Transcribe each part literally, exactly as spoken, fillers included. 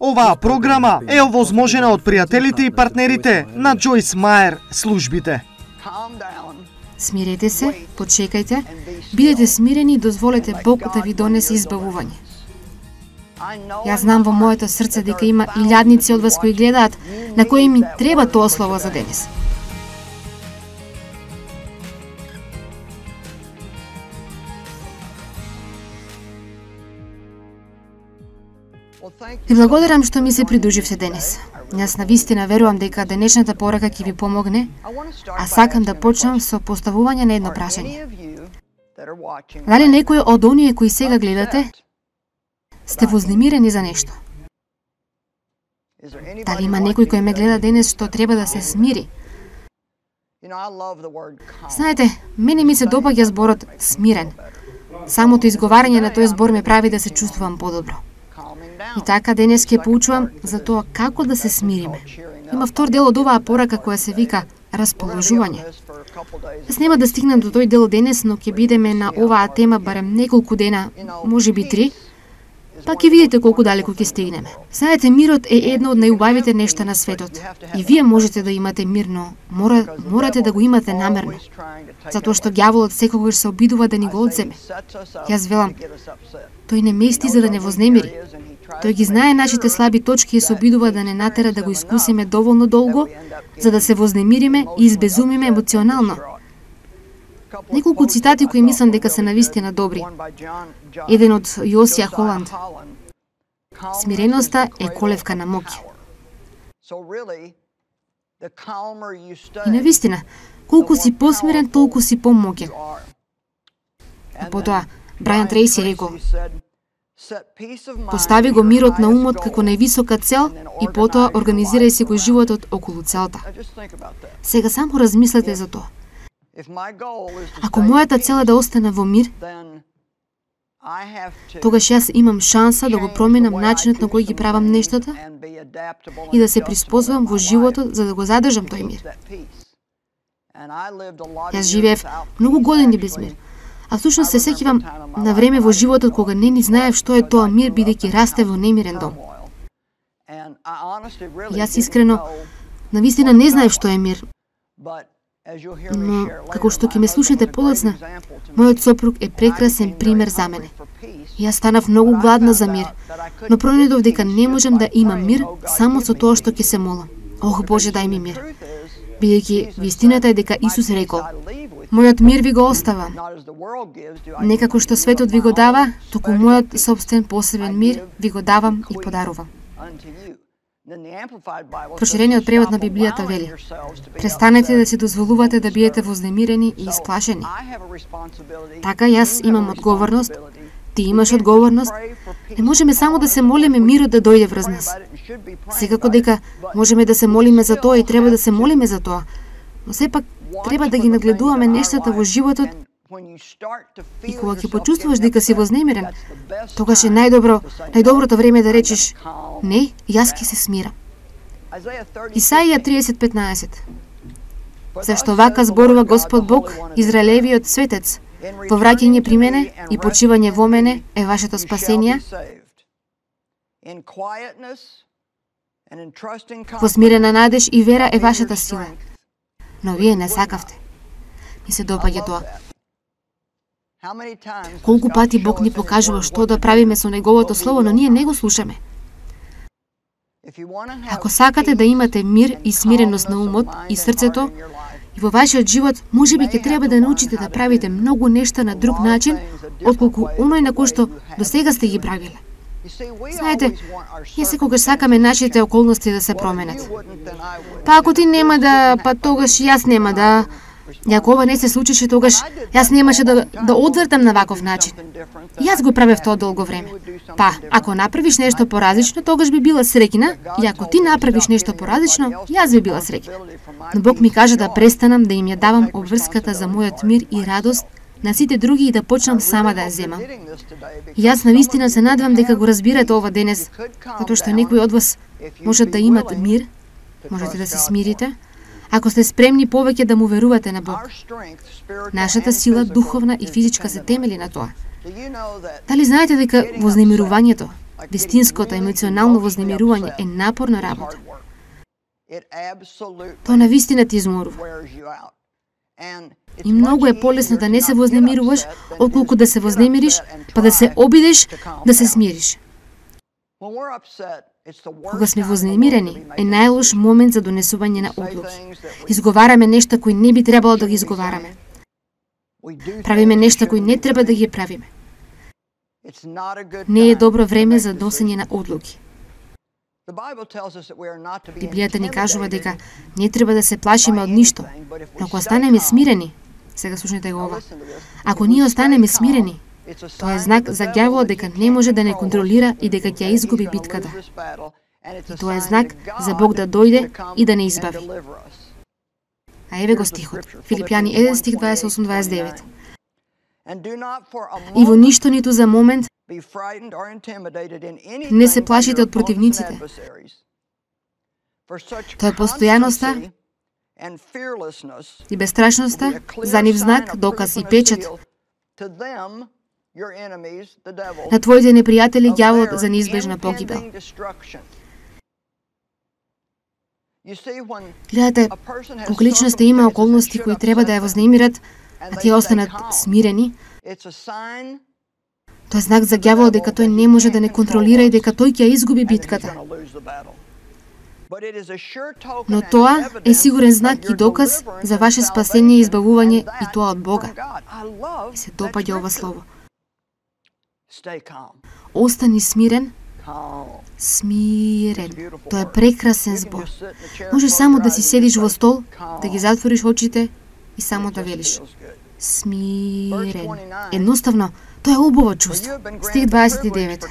Оваа програма е овозможена од пријателите и партнерите на Джойс Мајер службите. Смирете се, почекајте, бидете смирени и дозволете Бог да ви донесе избавување. Јас знам во моето срце дека има илјадници од вас кои гледаат, на кои ми треба тоа слово за денес. Ви благодарам што ми се придруживте денес. Јас навистина верувам дека денешната порака ќе ви помогне, а сакам да почнам со поставување на едно прашање. Дали некој од оние кои сега гледате сте вознемирени за нешто? Дали има некој кој ме гледа денес што треба да се смири? Знаете, мене ми се допаѓа зборот смирен. Самото изговарање на тој збор ме прави да се чувствувам подобро. И така денес ќе поучувам за тоа како да се смириме. Има втор дел од оваа порака која се вика расположување. Јас нема да стигнам до тој дел денес, но ќе бидеме на оваа тема барем неколку дена, можеби три, па ќе видите колку далеку ќе стигнеме. Знаете, мирот е едно од најубавите нешта на светот. И вие можете да имате мир, но мора, морате да го имате намерно. Затоа што ѓаволот секогаш се обидува да ни го одземе. Јас велам, тој не мести за да не вознемири. Тој ги знае нашите слаби точки и се обидува да не натера да го искусиме доволно долго, за да се вознемириме и избезумиме емоционално. Неколку цитати кои мислам дека се навистина добри. Еден од Јосија Холанд. Смиреноста е колевка на моќ. И навистина, колку си посмирен, толку си помоќен. И потоа, Брајан Трейси рекол, постави го мирот на умот како највисока цел и потоа организирај си го животот околу целта. Сега само размислете за тоа. Ако мојата цел е да остана во мир, тогаш јас имам шанса да го променам начинот на кој ги правам нештата и да се приспособам во животот за да го задржам тој мир. Јас живеев многу години без мир. А всушност се сеќавам на време во животот кога не ни знаев што е тоа мир, бидејќи расте во немирен дом. Јас искрено, навистина не знаев што е мир. Но, како што ќе ме слушнете подоцна, мојот сопруг е прекрасен пример за мене. Јас станав многу гладна за мир, но пронајдов дека не можам да имам мир само со тоа што ќе се молам. Ох, Боже, дај ми мир. Бидејќи вистината е дека Исус рекол, мојот мир ви го оставам. Не како што светот ви го дава, туку мојот собствен посебен мир ви го давам и подарувам. Проширениот превод на Библијата вели: престанете да си дозволувате да биете вознемирени и исплашени. Така јас имам одговорност, ти имаш одговорност. Не можеме само да се молиме мирот да дојде врз нас. Секако дека можеме да се молиме за тоа и треба да се молиме за тоа, но сепак треба да ги нагледуваме нештата во животот и кога ќе почувствуваш дека си вознемирен, тогаш е најдобро, најдоброто време да речеш: не, јас ќе се смирам. Исаија тридесет петнаесет. Зашто вака зборува Господ Бог, Израелевиот светец: во враќање при мене и почивање во мене е вашето спасение, во смирена надеж и вера е вашата сила. Но вие не сакавте. Ми се допаѓа тоа. Колку пати Бог ни покажува што да правиме со Неговото Слово, но ние не го слушаме. Ако сакате да имате мир и смиреност на умот и срцето, и во вашиот живот, можеби ќе треба да научите да правите многу нешта на друг начин, отколку оној на кој што до сега сте ги правиле. Знаете, ние секогаш сакаме нашите околности да се променат. Па ако ти нема да, па тогаш јас нема да. И ако ова не се случише, тогаш јас немаше да, да одвртам на ваков начин. Јас го правев тоа долго време. Па, ако направиш нешто поразлично, тогаш би била среќна, и ако ти направиш нешто поразлично, јас би била среќна. Но Бог ми кажа да престанам да им ја давам обврската за мојот мир и радост на сите други и да почнам сама да ја земам. И јас навистина се надевам дека го разбирате ова денес, затоа што некои од вас можат да имат мир, можете да се смирите, ако сте спремни повеќе да му верувате на Бог. Нашата сила, духовна и физичка, се темели на тоа. Дали знаете дека вознемирувањето, Вистинското емоционално вознемирување е напорна работа. Тоа навистина ти изморува. И многу е полесно да не се вознемируваш, отколку да се вознемириш, па да се обидеш да се смириш. Кога сме вознемирени, е најлош момент за донесување на одлуки. Изговараме нешта кои не би требало да ги изговараме. Правиме нешта кои не треба да ги правиме. Не е добро време за носење на одлуки. Библијата ни кажува дека не треба да се плашиме од ништо, но ако останеме смирени, сега слушнете го ова, ако ние останеме смирени, тоа е знак за ѓаволот дека не може да не контролира и дека ќе изгуби битката. И тоа е знак за Бог да дојде и да не избави. А еве го стихот, Филипјани еден стих дваесет и осум дваесет и девет. И во ништо ниту за момент не се плашите од противниците. Тоа е постојаноста и бестрашноста, за нив знак, доказ и печат на твоите непријатели ѓаволот за неизбежна погибел. Гледате, кога личноста има околности кои треба да ја вознемират, а тие останат смирени, тоа е знак за ѓаволот дека тој не може да не контролира и дека тој ќе изгуби битката. Но тоа е сигурен знак и доказ за ваше спасение и избавување, и тоа од Бога. И се допаѓа ова слово. Остани смирен, смирен. Тоа е прекрасен збор. Можеш само да си седиш во стол, да ги затвориш очите и само да велиш. Смирен. Едноставно, тоа е убаво чувство. Стих дваесет и девет.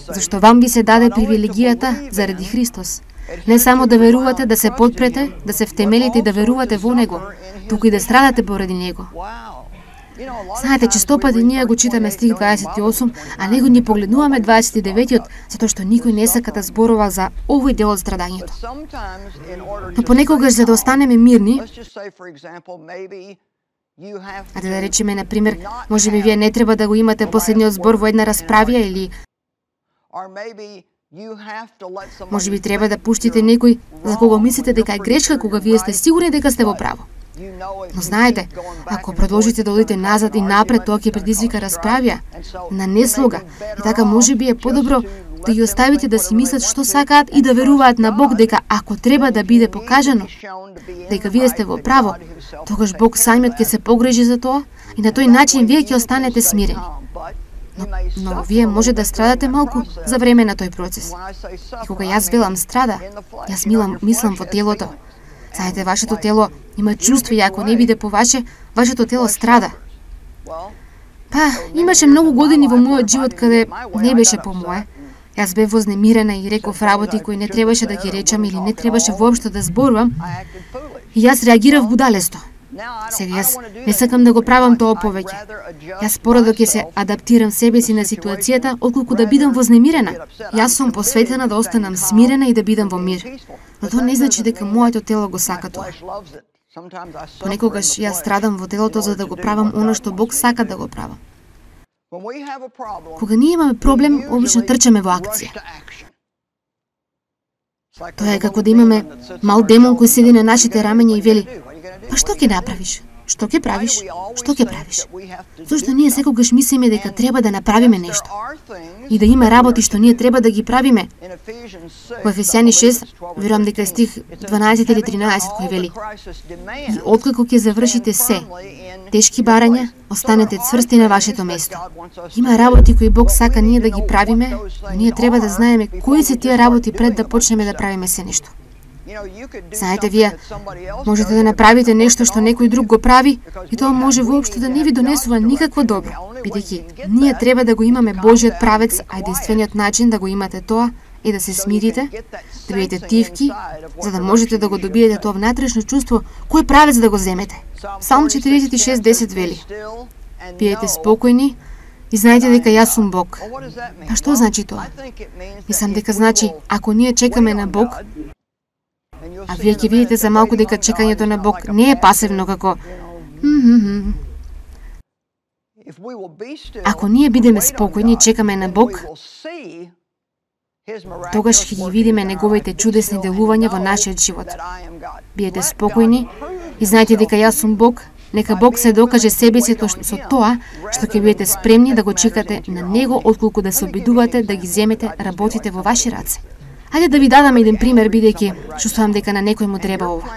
Зашто вам би се даде привилегијата заради Христос. Не само да верувате, да се подпрете, да се втемелите и да верувате во Него, туку и да страдате поради Него. Знаете, често пати ние го читаме стих дваесет и осум, а него ни погледнуваме дваесет и деветиот, затоа што никој не сака да зборува за овој дел од страдањето. Но понекогаш, за да останеме мирни, а да речеме, например, може би вие не треба да го имате последниот збор во една расправија, или може би треба да пуштите некој за кого мислите дека е грешка, кога вие сте сигурни дека сте во право. Но знаете, ако продолжите да одите назад и напред, тоа ќе предизвика расправја, на неслога. И така може би е подобро да ги оставите да си мислат што сакаат и да веруваат на Бог дека ако треба да биде покажано дека вие сте во право, тогаш Бог самиот ќе се погрежи за тоа и на тој начин вие ќе останете смирени. Но, но вие може да страдате малку за време на тој процес. И кога јас велам страда, јас милам, мислам во телото. Знаете, вашето тело има чувство и ако не биде по ваше, вашето тело страда. Па, имаше многу години во мојот живот каде не беше по мое. Јас бев вознемирена и реков работи кои не требаше да ги речам или не требаше воопшто да зборувам. И јас реагирав будалесто. Сега јас не сакам да го правам тоа повеќе. Јас порадо ќе се адаптирам себе си на ситуацијата, отколку да бидам вознемирена. Јас сум посветена да останам смирена и да бидам во мир. Но тоа не значи дека моето тело го сака тоа. Понекогаш јас страдам во телото за да го правам оно што Бог сака да го правам. Кога ние имаме проблем, обично трчаме во акција. Тоа е како да имаме мал демон кој седи на нашите рамења и вели: па што ќе направиш? Што ќе правиш? Што ќе правиш? Зошто ние секогаш мислиме дека треба да направиме нешто и да има работи што ние треба да ги правиме. Во Ефесјани шест, верувам дека е стих дванаесет или тринаесет кој вели: и откако ќе завршите се, тешки барања, останете цврсти на вашето место. Има работи кои Бог сака ние да ги правиме, но ние треба да знаеме кои се тие работи пред да почнеме да правиме се нешто. Знаете, вие можете да направите нешто што некој друг го прави и тоа може воопшто да не ви донесува никакво добро, бидејќи ние треба да го имаме Божиот правец, а единствениот начин да го имате тоа е да се смирите, да бидете тивки, за да можете да го добиете тоа внатрешно чувство, кој правец да го земете. Псалм четиридесет и шест десет вели: бидете спокојни и знаете дека јас сум Бог. А што значи тоа? Мислам дека значи, ако ние чекаме на Бог, а вие ќе видите за малку дека чекањето на Бог не е пасивно како ако ние бидеме спокојни и чекаме на Бог, Тогаш ќе ги видиме неговите чудесни делувања во нашиот живот. Биете спокојни и знаете дека јас сум Бог. Нека Бог се докаже себе си со тоа што ќе бидете спремни да го чекате на Него, отколку да се обидувате да ги земете работите во ваши раце. Хајде да ви дадам еден пример, бидејќи чувствувам дека на некој му треба ова.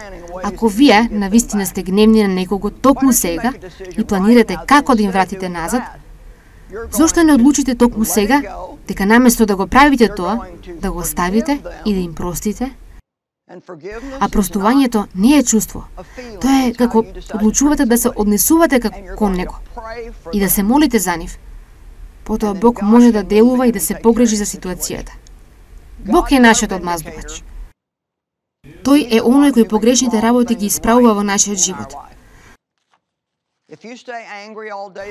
Ако вие навистина сте гневни на некого токму сега и планирате како да им вратите назад, зошто не одлучите токму сега дека наместо да го правите тоа, да го оставите и да им простите? А простувањето не е чувство. Тоа е како одлучувате да се однесувате кон него и да се молите за нив. Потоа Бог може да делува и да се погрижи за ситуацијата. Бог е нашиот одмаздувач. Тој е оној кој погрешните работи ги исправува во нашиот живот.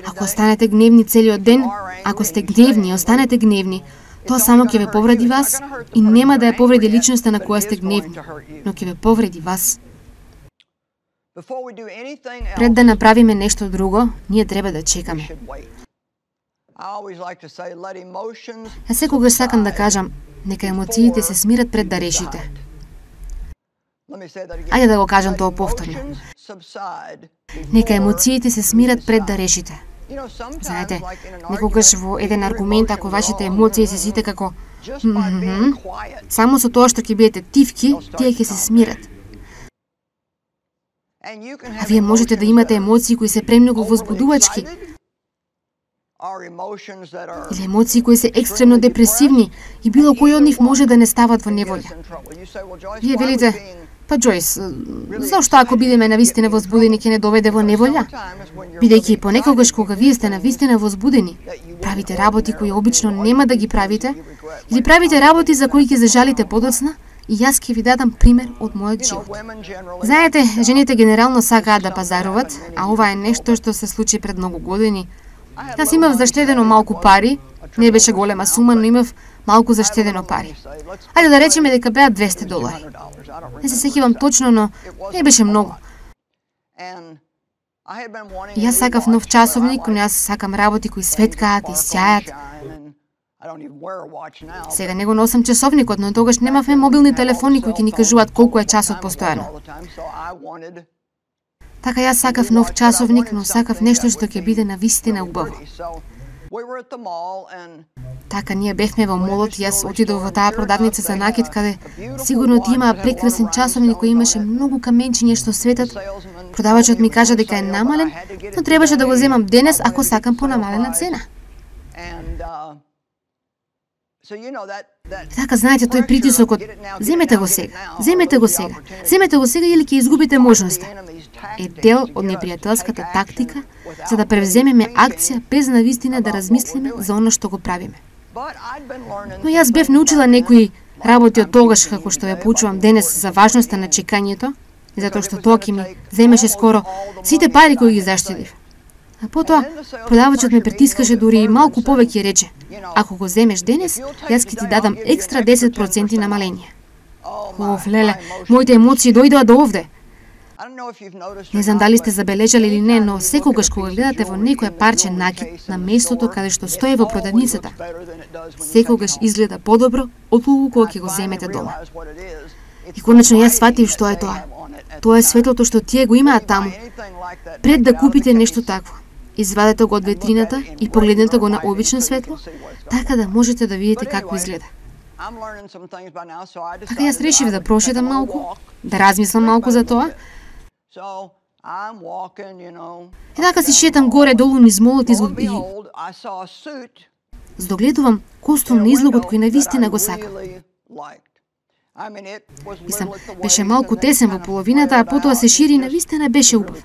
Ако останете гневни целиот ден, ако сте гневни и останете гневни, тоа само ќе ве повреди вас и нема да ја повреди личноста на која сте гневни, но ќе ве повреди вас. Пред да направиме нешто друго, ние треба да чекаме. Ја секогаш сакам да кажам, нека емоциите се смират пред да решите. Ајде да го кажам тоа повторно. Нека емоциите се смират пред да решите. Знаете, некогаш во еден аргумент, ако вашите емоции се сите како mm-hmm, само со тоа што ќе бидете тивки, тие ќе се смират. А вие можете да имате емоции кои се премногу возбудувачки, или емоции кои се екстремно депресивни и било кој од нив може да не стават во неволја. Вие велите, па Джојс, зашто ако бидеме навистина возбудени ќе не доведе во неволја? Бидејќи понекогаш кога вие сте навистина возбудени, правите работи кои обично нема да ги правите, или правите работи за кои ќе зажалите подоцна, и јас ќе ви дадам пример од мојот живот. Знаете, жените генерално сакаат да пазаруват, а ова е нешто што се случи пред многу години. Јас имав заштедено малку пари, не беше голема сума, но имав малку заштедено пари. Ајде да речеме дека беа двесте долари. Не се сеќавам точно, но не беше многу. И јас сакав нов часовник, но јас сакам работи кои светкаат и сјајат. Сега не го носам часовникот, но тогаш немавме мобилни телефони кои ќе ни кажуваат колку е часот постојано. Така јас сакав нов часовник, но сакав нешто што ќе биде навистина убаво. Така ние бевме во молот и јас отидов во таа продавница за накид, каде сигурно ти имаа прекрасен часовник кој имаше многу каменчиња што светат. Продавачот ми кажа дека е намален, но требаше да го земам денес ако сакам по намалена цена. Така, знаете, тој притисокот, земете го сега, земете го сега, земете го сега или ќе изгубите можноста, е дел од непријателската тактика за да превземеме акција без навистина да размислиме за оно што го правиме. Но јас бев научила некои работи од тогаш, како што ја поучувам денес за важноста на чекањето, затоа што тоа ќе ми земеше скоро сите пари кои ги заштедив. А потоа, продавачот ме притискаше дури и малку повеќе рече, ако го земеш денес, јас ќе ти дадам екстра десет проценти намаление. Оф, леле, моите емоции дојдоа до овде. Не знам дали сте забележали или не, но секогаш кога гледате во некој парче накид на местото каде што стои во продавницата, секогаш изгледа подобро отколку кога ќе го земете дома. И конечно јас сватив што е тоа. Тоа е светлото што тие го имаат таму. Пред да купите нешто такво, извадете го од ветрината и погледнете го на обично светло, така да можете да видите како изгледа. Така јас решив да прошетам малку, да размислам малку за тоа. И така си шетам горе-долу низ молот и здогледувам костюм на излогот кој навистина го сакам. Мислам, беше малку тесен во половината, а потоа се шири и навистина беше убав.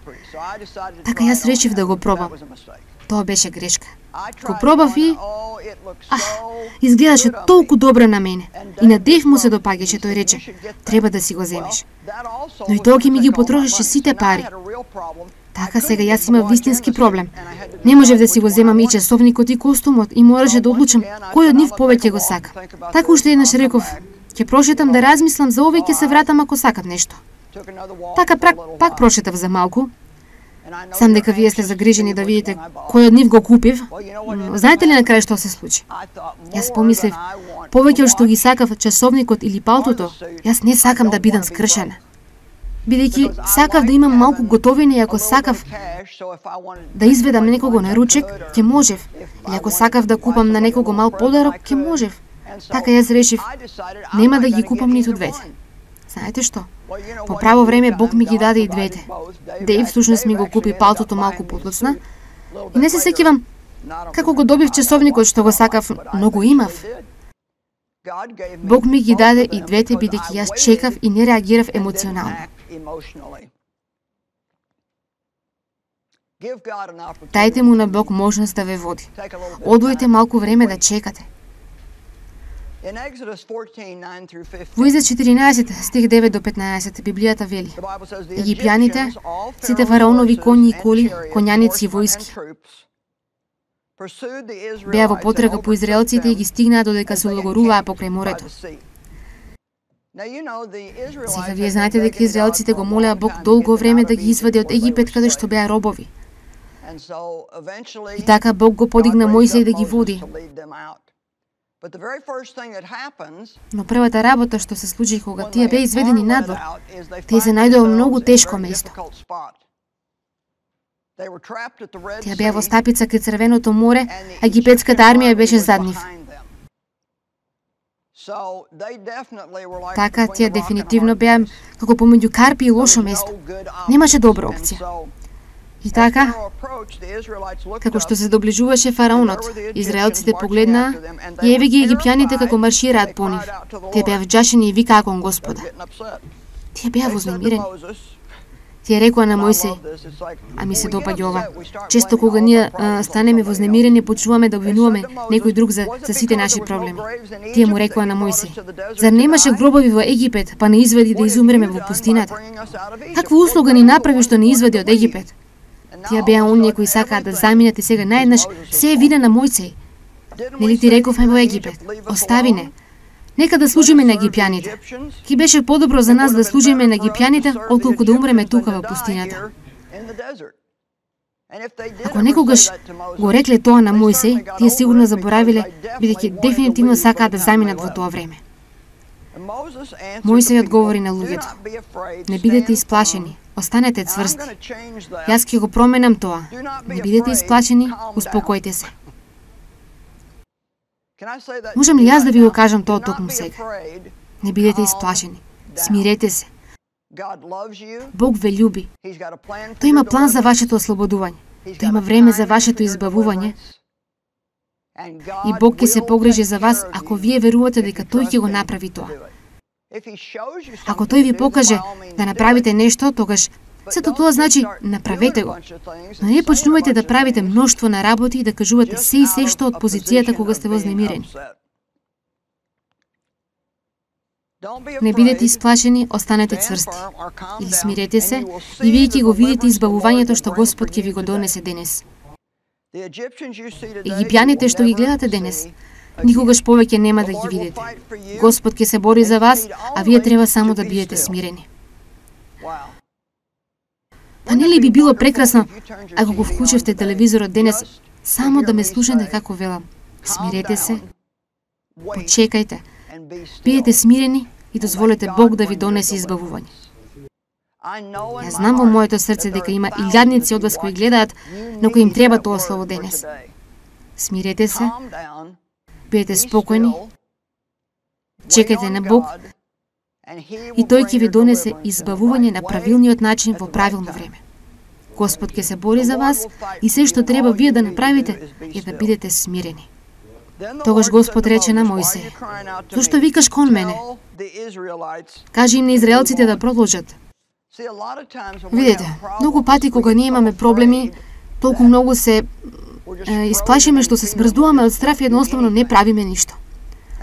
Така јас решив да го пробам. Тоа беше грешка. Го пробав и... А, изгледаше толку добро на мене. И на Дев му се допаѓаше, тој рече, треба да си го земеш. Но и тоа ќе ми ги потрошеше сите пари. Така сега јас имав вистински проблем. Не можев да си го земам и часовникот и костумот и мораше да одлучам кој од нив повеќе го сака. Така уште еднаш реков, ќе прошетам да размислам за овој ќе се вратам ако сакам нешто. Така пак, пак прошетав за малку. Сам дека вие сте загрижени да видите кој од нив го купив, но знаете ли на крај што се случи? Јас помислив, повеќе од што ги сакав часовникот или палтото, јас не сакам да бидам скршена. Бидејќи сакав да имам малку готовина и ако сакав да изведам некого на ручек, ќе можев. Или ако сакав да купам на некого мал подарок, ќе можев. Така јас решив, нема да ги купам ниту двете. Знаете што? По право време Бог ми ги даде и двете. Дејв всушност ми го купи палтото малку подоцна и не се сеќавам како го добив часовникот што го сакав, но го имав. Бог ми ги даде и двете бидејќи јас чекав и не реагирав емоционално. Дајте му на Бог можност да ве води. Одвојте малку време да чекате. Во Изод четиринаесет, стих девет до петнаесет, Библијата вели: Египјаните, сите фараонови коњи и коли, коњаници и војски, беа во потрага по израелците и ги стигнаа додека се логоруваа покрај морето. Сега вие знаете дека израелците го молеа Бог долго време да ги извади од Египет каде што беа робови. И така Бог го подигна Мојсей да ги води. Но првата работа што се случи кога тие беа изведени надвор, тие се најдоа во многу тешко место. Тие беа во стапица кај Црвеното море, а египетската армија беше зад нив. Така, тие дефинитивно беа како помеѓу карпи и лошо место. Немаше добра опција. И така, како што се доближуваше фараонот, израелците погледнаа и еве ги египјаните како маршираат по нив. Тие беа вџашени и викаа кон Господа. Тие беа вознемирени. Тие рекоа на Мојсей: а ми се допаѓа ова. Често кога ние а, станеме вознемирени, почнуваме да обвинуваме некој друг за, за сите наши проблеми. Тие му рекоа на Мојсей: зар немаше гробови во Египет, па не изведи да изумреме во пустината? Каква услуга ни направи што не изведи од Египет? Тие беа оние кои сакаат да заминат и сега наеднаш се е вина на Мојсей. Нели ти рековме во Египет: остави не. Нека да служиме на египјаните. Ки беше подобро за нас да служиме на египјаните, отколку да умреме тука во пустината. Ако некогаш го рекле тоа на Мојсей, тие сигурно заборавиле, бидејќи дефинитивно сакаат да заминат во тоа време. Мојсей одговори на луѓето: не бидете исплашени, останете цврсти. Јас ќе го променам тоа. Не бидете исплашени, успокојте се. Можам ли јас да ви го кажам тоа токму сега? Не бидете исплашени. Смирете се. Бог ве љуби. Тој има план за вашето ослободување. Тој има време за вашето избавување. И Бог ќе се погрижи за вас ако вие верувате дека Тој ќе го направи тоа. Ако Тој ви покаже да направите нешто, тогаш сето тоа значи направете го. Но не почнувајте да правите мноштво на работи и да кажувате се и се што од позицијата кога сте вознемирени. Не бидете исплашени, останете цврсти. Или смирете се и вие ќе го видите избавувањето што Господ ќе ви го донесе денес. Египјаните што ги гледате денес, никогаш повеќе нема да ги видите. Господ ќе се бори за вас, а вие треба само да бидете смирени. Па нели би било прекрасно ако го вклучевте телевизорот денес само да ме слушате како велам? Смирете се, почекајте, бидете смирени и дозволете Бог да ви донесе избавување. Јас знам во моето срце дека има илјадници од вас кои гледаат, но кои им треба тоа слово денес. Смирете се, бидете спокојни, чекајте на Бог и Тој ќе ви донесе избавување на правилниот начин во правилно време. Господ ќе се бори за вас и се што треба вие да направите е да бидете смирени. Тогаш Господ рече на Мојсей: зошто викаш кон мене? Кажи им на израелците да продолжат. Видете, многу пати кога ние имаме проблеми, толку многу се е, исплашиме што се смрздуваме од страф и едноставно не правиме ништо.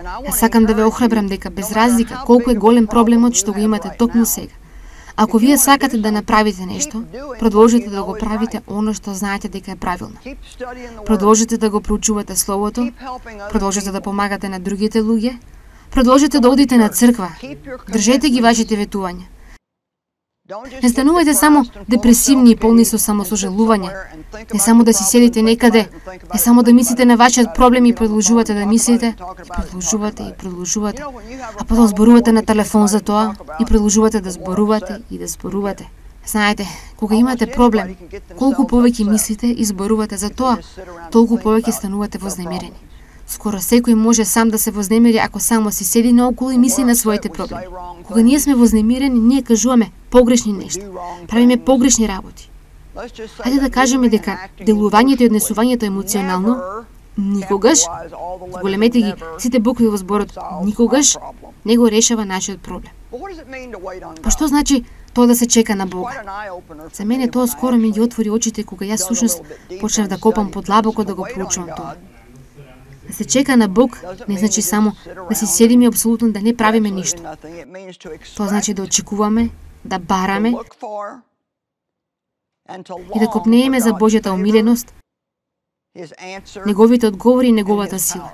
Јас сакам да ве охрабрам дека без разлика колку е голем проблемот што го имате токму сега, ако вие сакате да направите нешто, продолжете да го правите оно што знаете дека е правилно. Продолжете да го проучувате Словото, продолжете да помагате на другите луѓе, продолжете да одите на црква, држете ги вашите ветувања. Не станувајте само депресивни и полни со самосожалување. Не само да си седите некаде, не само да мислите на вашиот проблем и продолжувате да мислите, и продолжувате и продолжувате, а потом зборувате на телефон за тоа и продолжувате да зборувате и да зборувате. Знаете, кога имате проблем, колку повеќе мислите и зборувате за тоа, толку повеќе станувате вознемирени. Скоро секој може сам да се вознемири ако само си седи наоколу и мисли на своите проблеми. Кога ние сме вознемирени, ние кажуваме погрешни нешта, правиме погрешни работи. Хајде да кажеме дека делувањето и однесувањето емоционално никогаш, големете ги сите букви во зборот, никогаш не го решава нашиот проблем. Па што значи тоа да се чека на Бога? За мене тоа скоро ми ги отвори очите кога јас всушност почнав да копам подлабоко да го проучувам тоа. Да се чека на Бог не значи само да си седиме и апсолутно да не правиме ништо. Тоа значи да очекуваме, да бараме и да копнееме за Божјата омиленост, неговите одговори и неговата сила.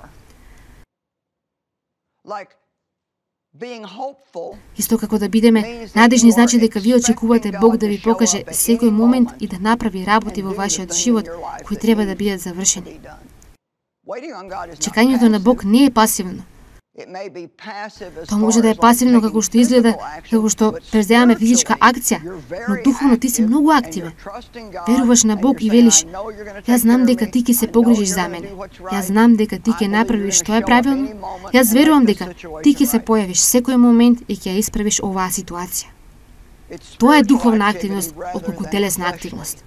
Исто како да бидеме надежни значи дека вие очекувате Бог да ви покаже секој момент и да направи работи во вашиот живот кои треба да бидат завршени. Чекањето на Бог не е пасивно. Тоа може да е пасивно како што изгледа, како што преземаме физичка акција, но духовно ти си многу активен. Веруваш на Бог и велиш: јас знам дека ти ќе се погрижиш за мене. Јас знам дека ти ќе направиш што е правилно. Јас верувам дека ти ќе се појавиш секој момент и ќе ја исправиш оваа ситуација. Тоа е духовна активност отколку телесна активност.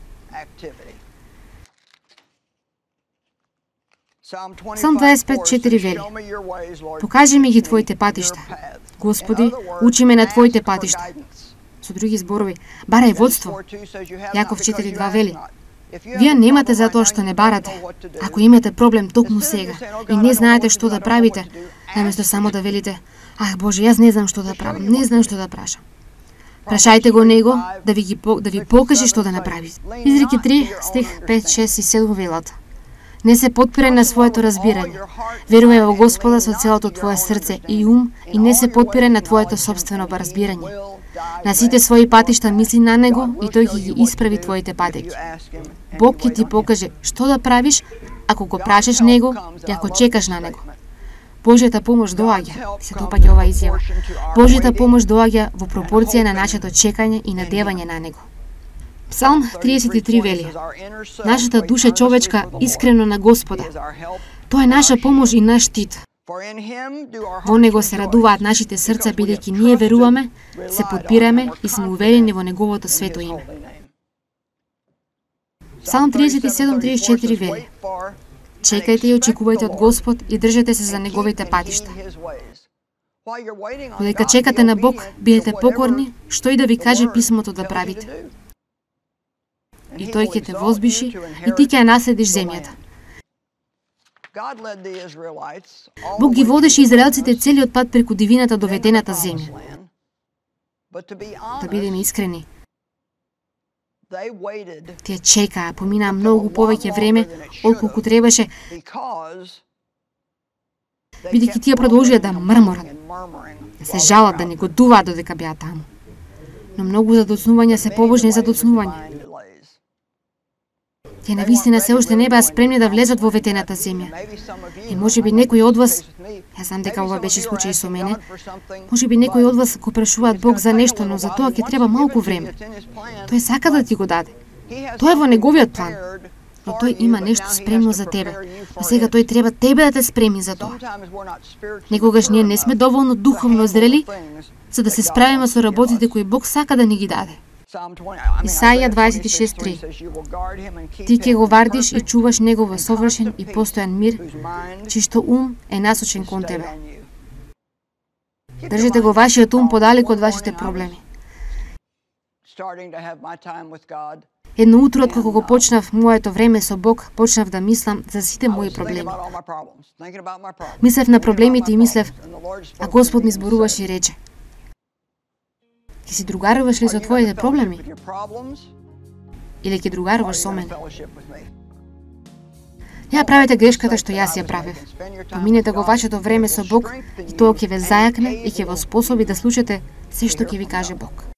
Псалм дваесет и пет четири вели: покажи ми ги твоите патишта. Господи, учи ме на твоите патишта. Со други зборови, барај водство. Јаков четири два вели: вие немате затоа што не барате. Ако имате проблем токму сега и не знаете што да правите, наместо само да велите: ах Боже, јас не знам што да правам, не знам што да прашам. Прашајте го Него да ви, ги, да ви покаже што да направите. Изреки три, стих пет, шест и седум велат: не се потпирај на своето разбирање. Верувај во Господа со целото твое срце и ум и не се потпирај на твоето собствено разбирање. На сите своји патишта мисли на Него и Тој ќе ги исправи твоите патеки. Бог ќе ти покаже што да правиш ако го прашаш Него и ако чекаш на Него. Божјата помош доаѓа, се допаѓа оваа изјава. Божјата помош доаѓа во пропорција на нашето чекање и надевање на Него. Псалм триесет и три вели: нашата душа човечка искрено на Господа. Тоа е наша помош и наш штит. Во Него се радуваат нашите срца, бидејќи ние веруваме, се подпираме и сме уверени во Неговото свето име. Псалм триесет и седум триесет и четири вели: чекајте и очекувајте од Господ и држете се за Неговите патишта. Додека чекате на Бог, бидете покорни, што и да ви каже писмото да правите. И Тој ќе те возбиши и ти ќе ја наследиш земјата. Бог ги водеше израелците целиот пат преку дивината до ветената земја. Да бидеме искрени, тие чекаа, поминаа многу повеќе време отколку требаше, бидејќи тие продолжија да мрморат, да се жалат, да негодуваат додека беа таму. Но многу задоцнувања се побожни задоцнувања. Тие навистина се уште не беа спремни да влезат во ветената земја. И можеби некои од вас, јас знам дека ова беше случај со мене, можеби некои од вас го прашуваат Бог за нешто, но за тоа ќе треба малку време. Тој сака да ти го даде. Тоа е во неговиот план. Но тој има нешто спремно за тебе. Но сега тој треба тебе да те спреми за тоа. Некогаш ние не сме доволно духовно зрели за да се справиме со работите кои Бог сака да ни ги даде. Исаија дваесет и шест три: ти ќе го вардиш и чуваш него во совршен и постојан мир, чишто ум е насочен кон тебе. Држете го вашиот ум подалеку од вашите проблеми. Едно утро, откако го почнав моето време со Бог, почнав да мислам за сите мои проблеми. Мислев на проблемите и мислев, а Господ ми зборуваше и рече: ќе си другаруваш ли со твоите проблеми? Или ќе другаруваш со мене? Ја правите грешката што јас ја правев. Поминете го вашето време со Бог и тоа ќе ве зајакне и ќе ве способи да слушате се што ќе ви каже Бог.